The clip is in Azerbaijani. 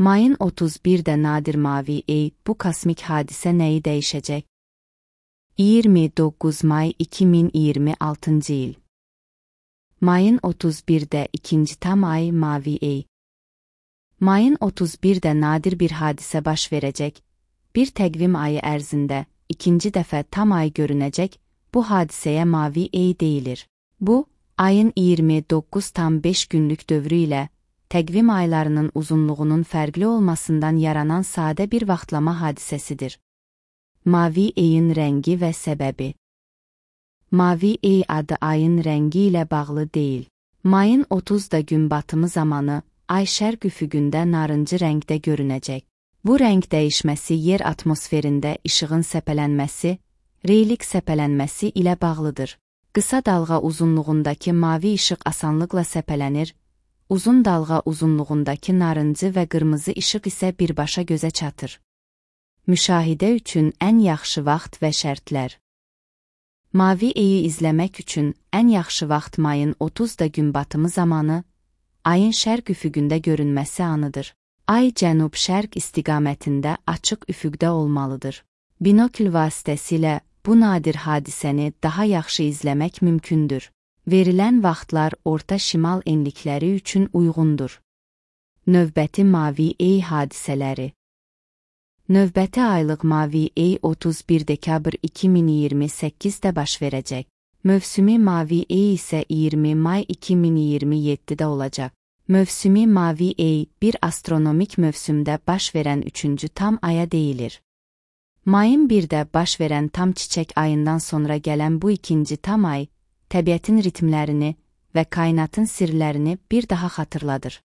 Mayın 31-də nadir mavi ey, bu kosmik hadisə nəyi dəyişəcək? 29 may 2026 il. Mayın 31-də ikinci tam ay mavi ey. Mayın 31-də nadir bir hadisə baş verəcək. Bir təqvim ayı ərzində ikinci dəfə tam ay görünəcək. Bu hadisəyə mavi ey deyilir. Bu, ayın 29,5 günlük dövrü ilə təqvim aylarının uzunluğunun fərqli olmasından yaranan sadə bir vaxtlama hadisəsidir. Mavi eyin rəngi və səbəbi. Mavi ey adı ayın rəngi ilə bağlı deyil. Mayın 30-da gün batımı zamanı ay şərq üfüqündə narıncı rəngdə görünəcək. Bu rəng dəyişməsi yer atmosferində işığın səpələnməsi, reylik səpələnməsi ilə bağlıdır. Qısa dalğa uzunluğundakı mavi işıq asanlıqla səpələnir, uzun dalğa uzunluğundakı narıncı və qırmızı işıq isə birbaşa gözə çatır. Müşahidə üçün ən yaxşı vaxt və şərtlər. Mavi eyi izləmək üçün ən yaxşı vaxt mayın 30-da gün batımı zamanı, ayın şərq üfüqündə görünməsi anıdır. Ay cənub-şərq istiqamətində açıq üfüqdə olmalıdır. Binokl vasitəsilə bu nadir hadisəni daha yaxşı izləmək mümkündür. Verilən vaxtlar orta şimal enlikləri üçün uyğundur. Növbəti mavi ey hadisələri. Növbəti aylıq mavi ey 31 dekabr 2028-də baş verəcək. Mövsümi mavi ey isə 20 may 2027-də olacaq. Mövsümi mavi ey bir astronomik mövsümdə baş verən üçüncü tam aya deyilir. Mayın 1-də baş verən tam çiçək ayından sonra gələn bu ikinci tam ay, təbiətin ritmlərini və kainatın sirlərini bir daha xatırladır.